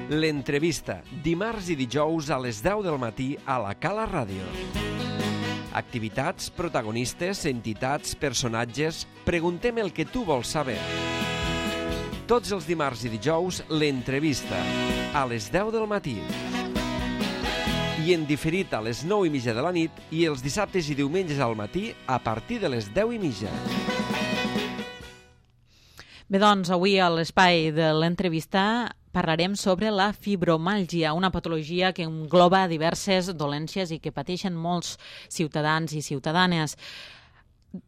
L'entrevista, dimarts i dijous a les 10 del matí a la Cala Ràdio. Activitats, protagonistes, entitats, personatges... Preguntem el que tu vols saber. Tots els dimarts i dijous, l'entrevista, a les 10 del matí. I en diferit a les 9:30 de la nit i els dissabtes i diumenges al matí a partir de les 10:30. Bé, doncs, avui a l'espai de l'entrevista parlarem sobre la fibromàlgia, una patologia que engloba diverses dolències i que pateixen molts ciutadans i ciutadanes.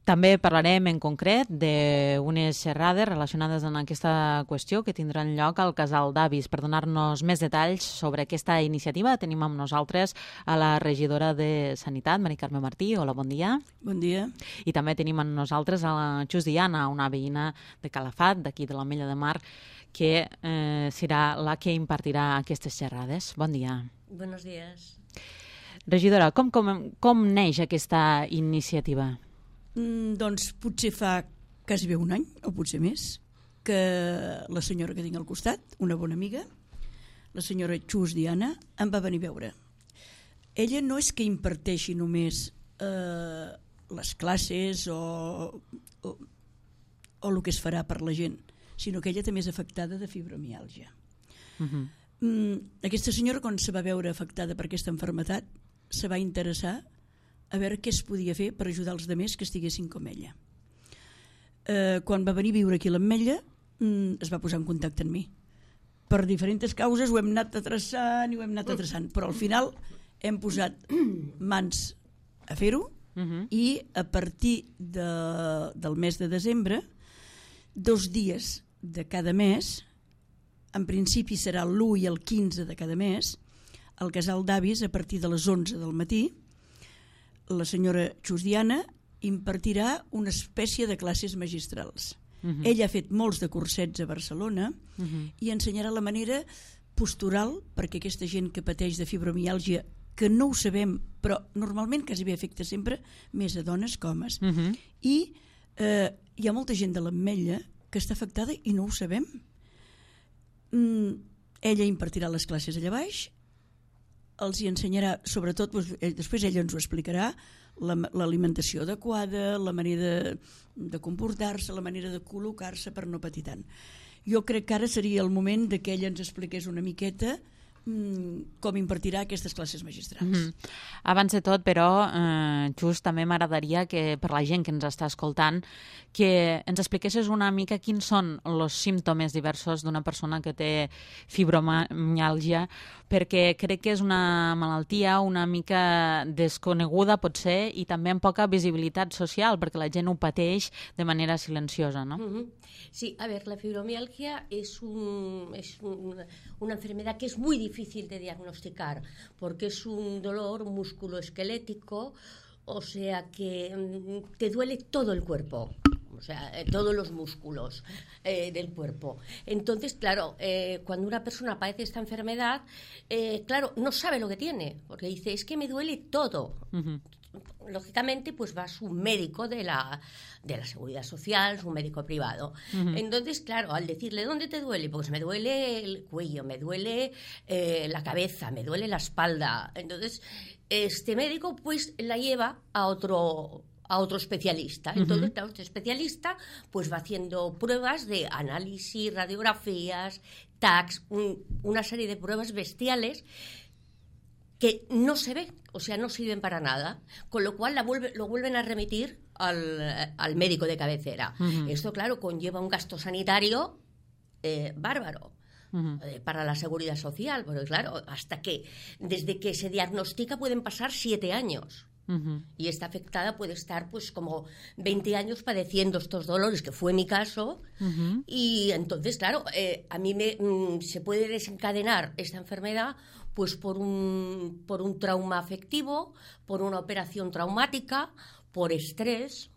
També parlarem en concret d'unes xerrades relacionades amb aquesta qüestió que tindran lloc al Casal d'Avis. Per donar-nos més detalls sobre aquesta iniciativa tenim amb nosaltres a la regidora de Sanitat, Mari Carme Martí. Hola, bon dia. Bon dia. I també tenim amb nosaltres a la Xus Diana, una veïna de Calafat, d'aquí de l'Ametlla de Mar, que serà la que impartirà aquestes xerrades. Bon dia. Buenos días. Regidora, com neix aquesta iniciativa? Doncs potser fa quasi bé un any, o potser més, que la senyora que tinc al costat, una bona amiga, la senyora Xus Diana, em va venir a veure. Ella no és que imparteixi només les classes o el que es farà per la gent, sinó que ella també és afectada de fibromiàlgia. Aquesta senyora, quan se va veure afectada per aquesta malaltia, se va interessar a veure què es podia fer per ajudar els altres que estiguessin com ella. Quan va venir a viure aquí a l'Ametlla, es va posar en contacte amb mi. Per diferents causes ho hem anat atreçant, però al final hem posat mans a fer-ho i a partir del mes de desembre, 2 dies de cada mes, en principi serà l'1 i el 15 de cada mes, al Casal d'Avis, a partir de les 11 del matí, la senyora Xus Diana impartirà una espècie de classes magistrals. Ella ha fet molts de cursets a Barcelona i ensenyarà la manera postural perquè aquesta gent que pateix de fibromiàlgia, que no ho sabem, però normalment quasi bé afecta sempre més a dones que homes. I hi ha molta gent de l'Ametlla que està afectada i no ho sabem. Ella impartirà les classes allà baix, els hi ensenyarà, sobretot, després ella ens ho explicarà, l'alimentació adequada, la manera de comportar-se, la manera de col·locar-se per no patir tant. Jo crec que ara seria el moment que ella ens expliqués una miqueta com impartirà aquestes classes magistrals. Abans de tot, però, just també m'agradaria que per la gent que ens està escoltant que ens expliquessis una mica quins són els símptomes diversos d'una persona que té fibromiàlgia, perquè crec que és una malaltia una mica desconeguda, potser, i també amb poca visibilitat social, perquè la gent ho pateix de manera silenciosa, no? Sí, a ver, la fibromialgia es una enfermedad que es muy difícil de diagnosticar porque es un dolor musculoesquelético, o sea que te duele todo el cuerpo, o sea, todos los músculos del cuerpo. Entonces, claro, cuando una persona padece esta enfermedad, claro, no sabe lo que tiene, porque dice, es que me duele todo. Lógicamente, pues va su médico de la Seguridad Social, su médico privado. Entonces, claro, al decirle, ¿dónde te duele? Pues me duele el cuello, me duele la cabeza, me duele la espalda. Entonces, este médico pues la lleva a otro especialista. Entonces, claro, este especialista pues va haciendo pruebas de análisis, radiografías, TACs, una serie de pruebas bestiales que no se ve, o sea, no sirven para nada, con lo cual lo vuelven a remitir al médico de cabecera. Esto, claro, conlleva un gasto sanitario bárbaro para la Seguridad Social, porque claro, desde que se diagnostica pueden pasar 7 años. Y esta afectada puede estar pues como 20 años padeciendo estos dolores, que fue mi caso, y entonces, claro, a mí se puede desencadenar esta enfermedad pues por un trauma afectivo, por una operación traumática, por estrés.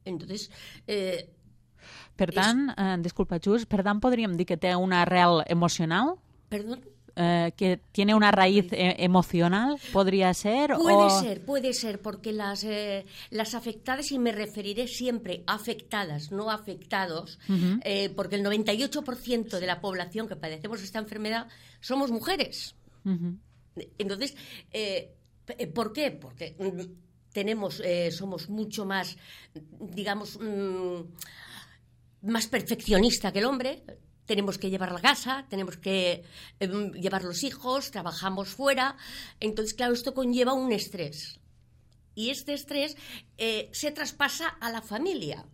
Entonces, per tant, disculpa, Xus, per tant podríem dir que té una arrel emocional? Perdón? que tiene una raíz emocional, ¿podría ser? Puede ser, porque las afectadas, y me referiré siempre a afectadas, no afectados, porque el 98% de la población que padecemos esta enfermedad somos mujeres. Entonces, ¿por qué? Porque somos mucho más, digamos, más perfeccionista que el hombre. Tenemos que llevar la casa, tenemos que llevar los hijos, trabajamos fuera. Entonces, claro, esto conlleva un estrés. Y este estrés se traspasa a la familia.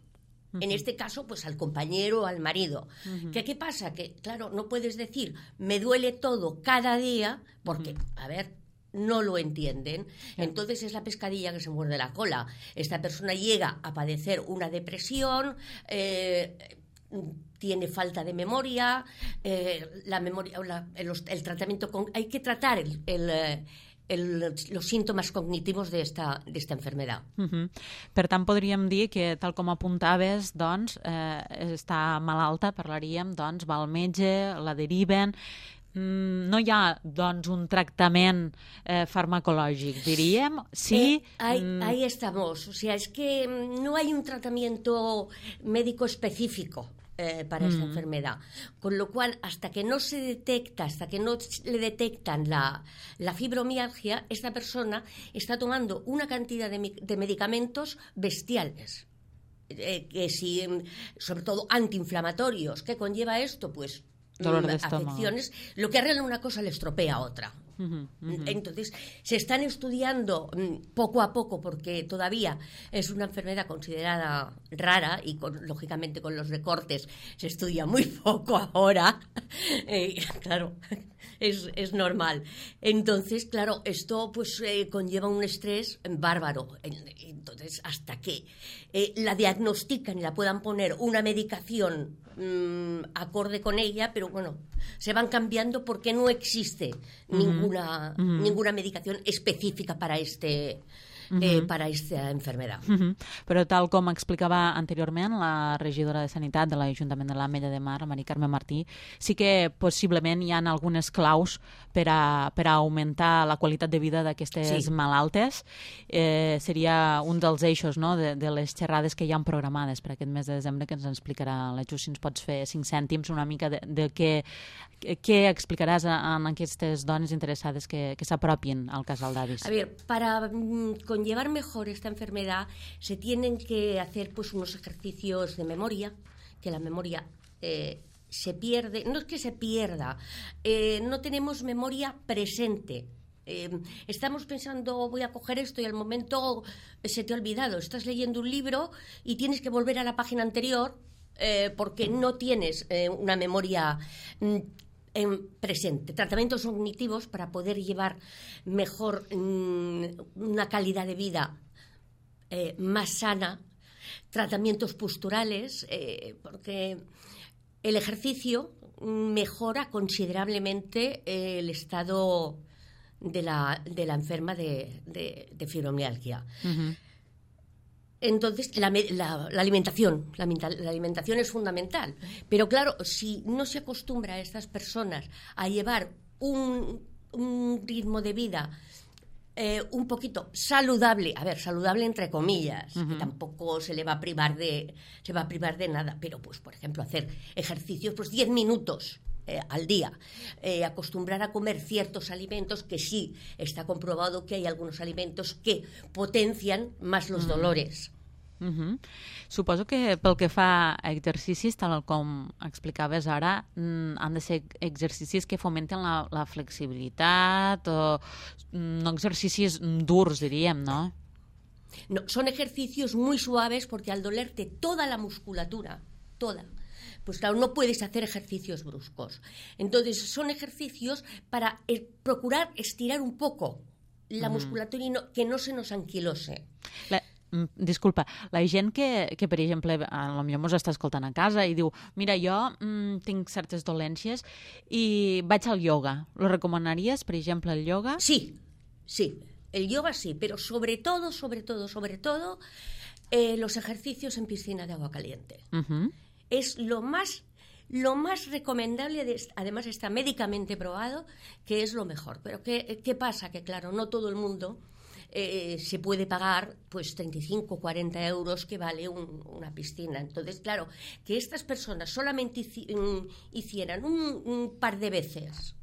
En este caso, pues al compañero o al marido. ¿Qué pasa? Que, claro, no puedes decir, me duele todo cada día, porque, a ver, no lo entienden. Entonces es la pescadilla que se muerde la cola. Esta persona llega a padecer una depresión, tiene falta de memoria, la memoria, el tratamiento hay que tratar los síntomes cognitivos de esta enfermedad. Per tant, podríem dir que, tal com apuntaves, doncs, està malalta, parlaríem, doncs, va al metge, la deriven. No hi ha, doncs, un tractament farmacològic, diríem? Sí. Ahí estamos. O sea, es que no hay un tratamiento médico específico para esta enfermedad. Con lo cual, hasta que no le detectan la fibromialgia, esta persona está tomando una cantidad de medicamentos bestiales. Que si, sobre todo antiinflamatorios, ¿qué conlleva esto? Pues dolor de estómago. Afecciones. Lo que arregla una cosa le estropea otra. Entonces, se están estudiando poco a poco, porque todavía es una enfermedad considerada rara y, lógicamente, con los recortes se estudia muy poco ahora. Claro, es normal. Entonces, claro, esto pues conlleva un estrés bárbaro. Entonces, hasta que la diagnostican y la puedan poner una medicación acorde con ella, pero bueno, se van cambiando porque no existe ninguna medicación específica para para esta enfermedad. Però tal com explicava anteriorment la regidora de Sanitat de l'Ajuntament de l'Ametlla de Mar, Mari Carme Martí, sí que possiblement hi ha algunes claus per a augmentar la qualitat de vida d'aquestes malaltes. Seria un dels eixos, no?, de les xerrades que hi ha programades per aquest mes de desembre, que ens explicarà la Ju. Si ens pots fer 5 cèntims una mica de què explicaràs a aquestes dones interessades que s'apropin al casal d'avis. A ver, para conllevar mejor esta enfermedad se tienen que hacer pues unos ejercicios de memoria, que la memoria se pierde, no es que se pierda, no tenemos memoria presente. Estamos pensando, voy a coger esto, y al momento se te ha olvidado. Estás leyendo un libro y tienes que volver a la página anterior porque no tienes una memoria presente. Tratamientos cognitivos para poder llevar mejor una calidad de vida más sana, tratamientos posturales, porque el ejercicio mejora considerablemente el estado de la enferma de fibromialgia. Entonces, la alimentación es fundamental. Pero claro, si no se acostumbra a estas personas a llevar un ritmo de vida un poquito saludable, a ver, saludable entre comillas, que tampoco se va a privar de nada, pero pues, por ejemplo, hacer ejercicios, pues 10 minutos al día, acostumbrar a comer ciertos alimentos, que sí está comprobado que hay algunos alimentos que potencian más los dolores. Suposo que pel que fa a exercicis, tal com explicaves ara, han de ser exercicis que fomenten la flexibilitat, o no exercicis durs, diríem, no? No, son ejercicios muy suaves, porque al dolerte toda la musculatura, toda, pues claro, no puedes hacer ejercicios bruscos. Entonces son ejercicios para procurar estirar un poco la musculatura y que no se nos anquilose. Disculpa, la gent que per exemple, potser mos està escoltant a casa i diu, mira, jo tinc certes dolències i vaig al yoga. Lo recomanaries, per exemple, el yoga? Sí, el yoga sí, pero sobre todo, los ejercicios en piscina de agua caliente. Es lo más lo más recomendable, además está médicamente probado, que es lo mejor. Pero ¿qué pasa? Que claro, no todo el mundo se puede pagar pues 35 o 40 euros que vale una piscina. Entonces, claro, que estas personas solamente hicieran un par de veces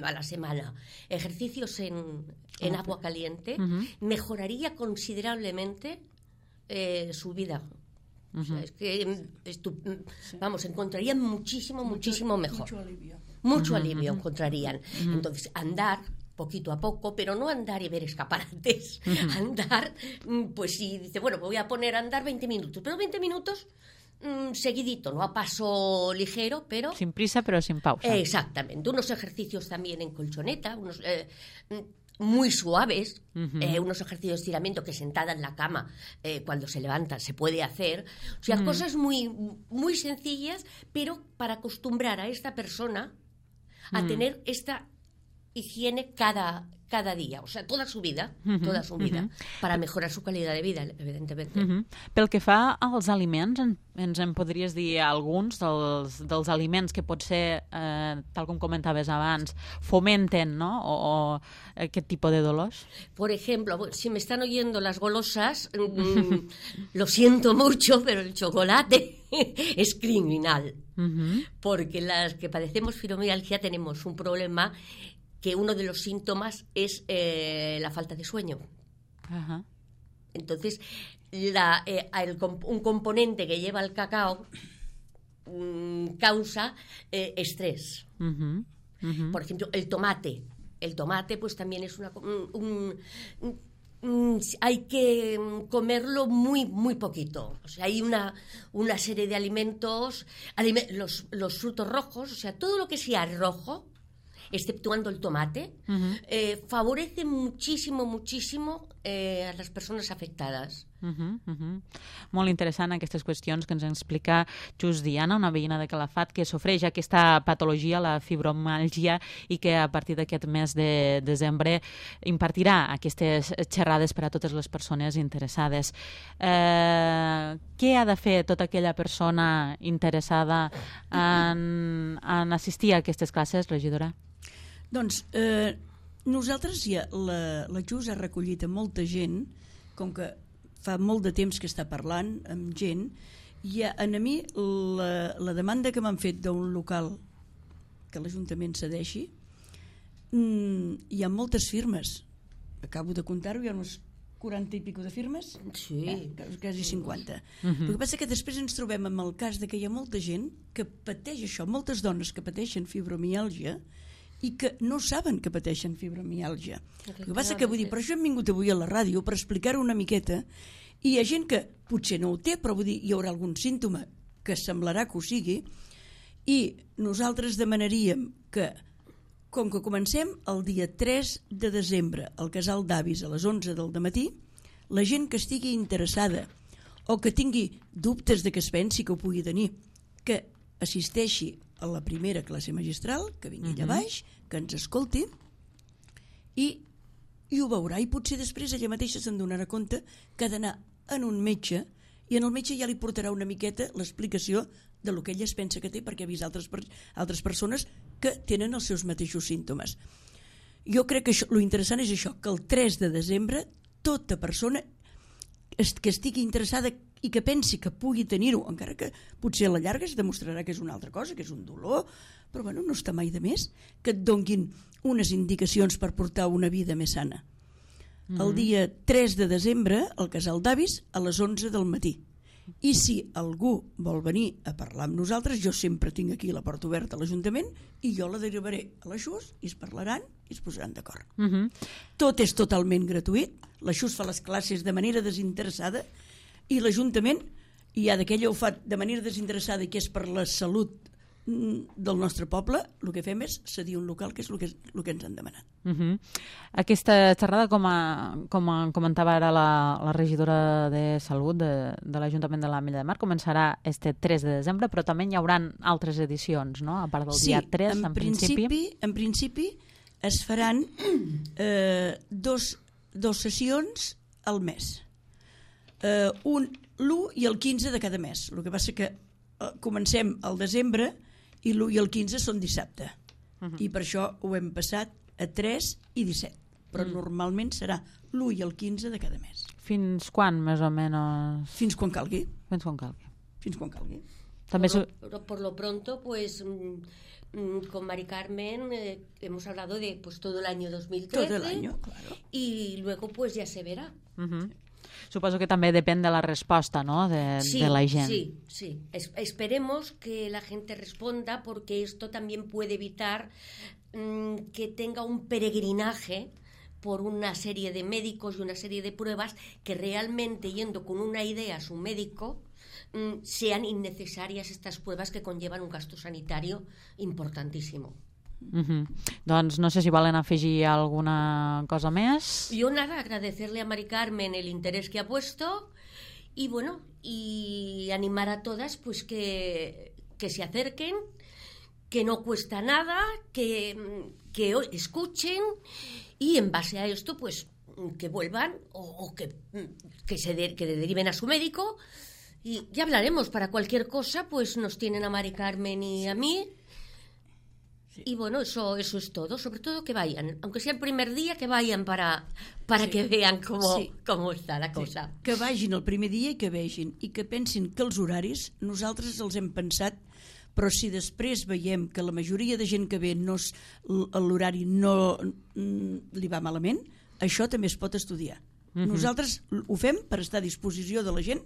a la semana ejercicios en agua caliente, mejoraría considerablemente su vida. O sea, es que encontrarían muchísimo mejor. Mucho alivio encontrarían. Entonces, andar poquito a poco, pero no andar y ver escaparates. Andar, pues si dice, bueno, voy a poner a andar 20 minutos, pero 20 minutos seguidito, no a paso ligero, pero... Sin prisa, pero sin pausa. Exactamente. Unos ejercicios también en colchoneta, unos... muy suaves, unos ejercicios de estiramiento que sentada en la cama cuando se levantan se puede hacer, o sea, cosas muy, muy sencillas, pero para acostumbrar a esta persona a tener esta higiene cada día, o sea, toda su vida, para mejorar su calidad de vida, evidentemente. Pel que fa als aliments, ens en podries dir alguns dels aliments que potser, tal com comentaves abans, fomenten, ¿no? o aquest tipus de dolors? Por ejemplo, si me están oyendo las golosas, lo siento mucho, pero el chocolate es criminal, porque las que padecemos fibromialgia tenemos un problema que uno de los síntomas es la falta de sueño. Entonces, un componente que lleva el cacao causa estrés. Por ejemplo, el tomate. El tomate, pues también es hay que comerlo muy, muy poquito. O sea, hay una serie de alimentos, los frutos rojos, o sea, todo lo que sea rojo, exceptuando el tomate, favorece muchísimo a les persones afectades. Molt interessant aquestes qüestions que ens explica just Diana, una veïna de Calafat que sofreix aquesta patologia, la fibromàlgia, i que a partir d'aquest mes de desembre impartirà aquestes xerrades per a totes les persones interessades. Què ha de fer tota aquella persona interessada en assistir a aquestes classes, regidora? Doncs nosaltres ja, la JUS ha recollit a molta gent, com que fa molt de temps que està parlant amb gent, i a mi la demanda que m'han fet d'un local que l'Ajuntament cedeixi, hi ha moltes firmes, acabo de comptar-ho, hi ha uns 40 i pico de firmes, quasi 50. El que passa que després ens trobem amb el cas de que hi ha molta gent que pateix això, moltes dones que pateixen fibromiàlgia i que no saben que pateixen fibromiàlgia. El que passa que, vull dir, per això hem vingut avui a la ràdio, per explicar-ho una miqueta, i hi ha gent que potser no ho té, però vull dir, hi haurà algun símptoma que semblarà que ho sigui, i nosaltres demanaríem que, com que comencem el dia 3 de desembre al Casal d'Avis a les 11 del dematí, la gent que estigui interessada o que tingui dubtes de que es pensi que ho pugui tenir, que assisteixi a la primera classe magistral, que vingui allà baix, que ens escolti i ho veurà, i potser després ella mateixa se'n donarà compte que ha d'anar en un metge i en el metge ja li portarà una miqueta l'explicació de lo que ella es pensa que té, perquè ha vist altres persones que tenen els seus mateixos símptomes. Jo crec que lo interessant és això, que el 3 de desembre tota persona que estigui interessada i que pensi que pugui tenir-ho, encara que potser a la llarga es demostrarà que és una altra cosa, que és un dolor, però bueno, no està mai de més que et donguin unes indicacions per portar una vida més sana. El dia 3 de desembre al Casal d'Avis a les 11 del matí. I si algú vol venir a parlar amb nosaltres, jo sempre tinc aquí la porta oberta a l'Ajuntament i jo la derivaré a la XUS i es parlaran i es posaran d'acord. Tot és totalment gratuït, la XUS fa les classes de manera desinteressada i l'Ajuntament, i ja d'aquella ho fa de manera desinteressada i que és per la salut del nostre poble, el que fem és cedir un local, que és el que ens han demanat. Aquesta xerrada, com comentava ara la regidora de Salut de l'Ajuntament de l'Ametlla de Mar, començarà este 3 de desembre, però també hi haurà altres edicions, no? A part del dia 3, en principi. En principi es faran dos sessions al mes. L'1 i el 15 de cada mes. El que passa que comencem al desembre i l'1 i el 15 són dissabte. I per això ho hem passat a 3 i 17. Però normalment serà l'1 i el 15 de cada mes. Fins quan, més o menys? Fins quan calgui. Fins quan calgui. Fins quan calgui. També por lo pronto, pues con Mari Carmen hemos hablado de pues todo el año 2013. Todo el año, claro. Y luego pues ya se verá. Suposo que també depèn de la resposta, no?, de la gent. Sí. Esperemos que la gente responda, porque esto también puede evitar que tenga un peregrinaje por una serie de médicos y una serie de pruebas que realmente, yendo con una idea a su médico, sean innecesarias estas pruebas que conllevan un gasto sanitario importantísimo. Doncs no sé si volen afegir alguna cosa més. Yo nada, agradecerle a Mari Carmen el interés que ha puesto y bueno, y animar a todas pues que se acerquen, que no cuesta nada, que escuchen y en base a esto pues que vuelvan o que deriven a su médico y ya hablaremos. Para cualquier cosa pues nos tienen a Mari Carmen y a mí. Sí. Y bueno, eso es todo. Sobre todo que vayan, aunque sea el primer día, que vayan para que vean cómo está la cosa. Sí. Que vagin el primer dia i que vegin, i que pensin que els horaris nosaltres els hem pensat, però si després veiem que la majoria de gent que ve l'horari no li va malament, això també es pot estudiar. Nosaltres ho fem per estar a disposició de la gent,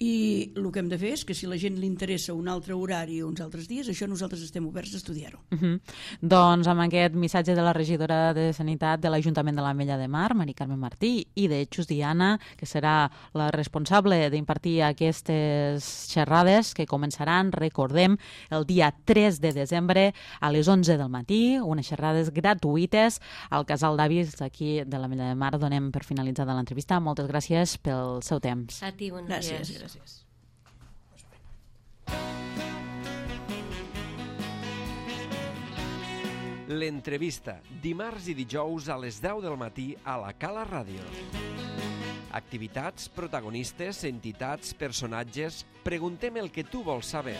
i el que hem de fer és que si a la gent li interessa un altre horari o uns altres dies, això nosaltres estem oberts a estudiar-ho. Doncs amb aquest missatge de la regidora de Sanitat de l'Ajuntament de l'Ametlla de Mar, Mari Carmen Martí, i de Xus Diana, que serà la responsable d'impartir aquestes xerrades que començaran, recordem, el dia 3 de desembre a les 11 del matí, unes xerrades gratuïtes al Casal d'Avis aquí de l'Ametlla de Mar. Donem per finalitzada l'entrevista. Moltes gràcies pel seu temps. A ti, bon dia. Gràcies. L'entrevista, dimarts i dijous a les 10 del matí a la Cala Ràdio. Activitats, protagonistes, entitats, personatges... Preguntem el que tu vols saber.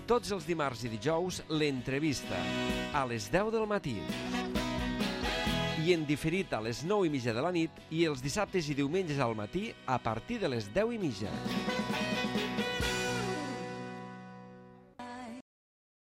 Tots els dimarts i dijous, l'entrevista, a les 10 del matí. I en diferit a les 9:30 de la nit i els dissabtes i diumenges al matí a partir de les 10:30.